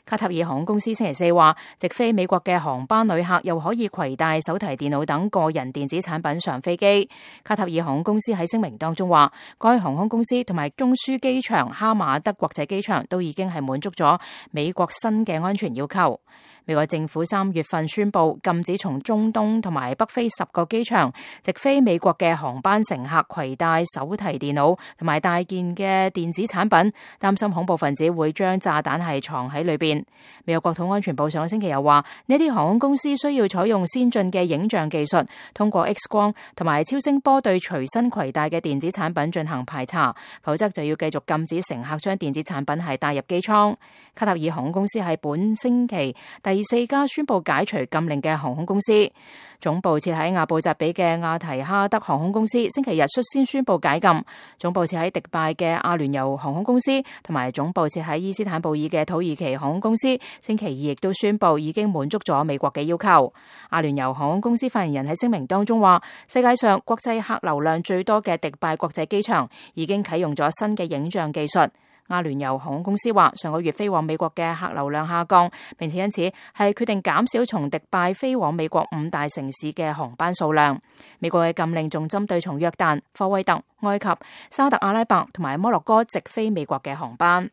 卡塔爾航空公司星期四話，直飛美國嘅航班旅客又可以攜帶手提電腦等個人電子產品上飛機。卡塔爾航空公司喺聲明當中話，該航空公司同埋中樞機場哈馬德國際機場都已經係滿足咗美國新嘅安全要求。美國政府3月份宣布禁止從中東同埋北非10個機場直飛美國嘅航班乘客攜帶手提電腦同埋大件嘅電子產品，擔心恐怖分子會將炸彈係藏喺裏邊。美國國土安全部上個星期又話，呢啲航空公司需要採用先進嘅影像技術，通過 X 光同埋超聲波對隨身攜帶嘅電子產品進行排查，否則就要繼續禁止乘客將電子產品係帶入機艙。卡塔爾航空公司係本星期第4家宣布解除禁令嘅航空公司。總部設喺阿布扎比嘅亞提哈德航空公司星期日率先宣布解禁，總部設喺迪拜嘅阿聯酋航空公司同埋總部設喺伊斯坦布爾嘅土耳其航空公司星期二亦都宣布已經滿足咗美國嘅要求。阿聯酋航空公司發言人喺聲明當中話，世界上國際客流量最多嘅迪拜國際機場已經啟用咗新嘅影像技術。阿聯酋航空公司話，上個月飛往美國嘅客流量下降，並且因此係決定減少從迪拜飛往美國5大城市嘅航班數量。美國嘅禁令仲針對從約旦、科威特、埃及、沙特阿拉伯同埋摩洛哥直飛美國嘅航班。